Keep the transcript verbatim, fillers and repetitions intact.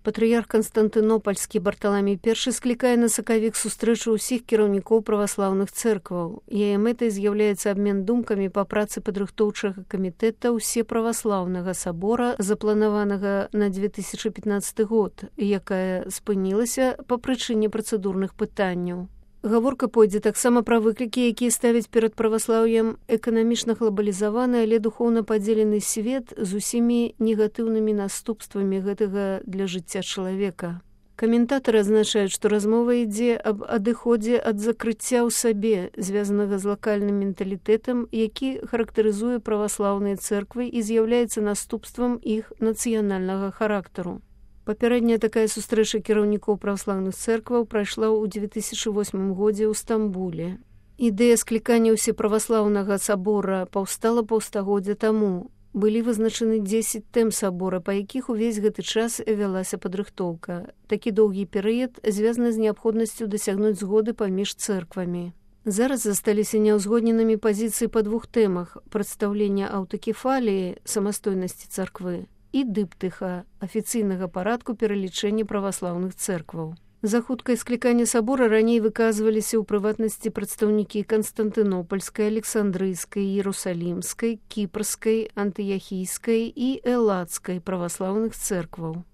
Патрыярх Канстантынопольскі Барталамей першы склікае на сакавік сустрэчу ўсіх кіраўнікоў праваслаўных цэркваў. Яе мэтай з'яўляецца абмен думкамі па працы падрыхтоўчага камітэта ўсеправаслаўнага сабора, запланаванага на две тысячы пятнаццаты год, якая спынілася па прычыне працэдурных пытанняў. Гаворка пойдзе таксама пра выклікі, якія ставяць перад праваслаўем эканамічна глобалізаваны, але духоўна падзелены свет з усімі негатыўнымі наступствамі гэтага для жыцця чалавека. Каментатары адзначаюць, што размова ідзе аб адыходзе ад закрыцця ў сабе, звязанага з лакальным менталітэтам, які характарызуе праваслаўныя цэрквы і з'яўляецца наступствам іх нацыянальнага характару. Папярэдняя такая сустрэча кіраўнікоў праваслаўных цэркваў прайшла ў две тысячы восьмым годзе ў Стамбуле. Ідэя склікання ўсеправаслаўнага сабора паўстала паўстагоддзя таму. Былі вызначаны дзесяць тэм сабора, па якіх увесь гэты час вялася падрыхтоўка. Такі доўгі перыяд звязаны з неабходнасцю дасягнуць згоды паміж цэрквамі. Зараз засталіся няўзгодненымі пазіцыі па двух тэмах: прадстаўлення аўтакефаліі, самастойнасці царквы, і дыптыха, афіцыйнага парадку пералічэння праваслаўных цэркваў. За хуткае скліканне сабора раней выказваліся ў прыватнасці прадстаўнікі Канстантынопольскай, Александрыйскай, Іерусалімскай, Кіпрскай, Антыяхійскай і Элладскай праваслаўных цэркваў.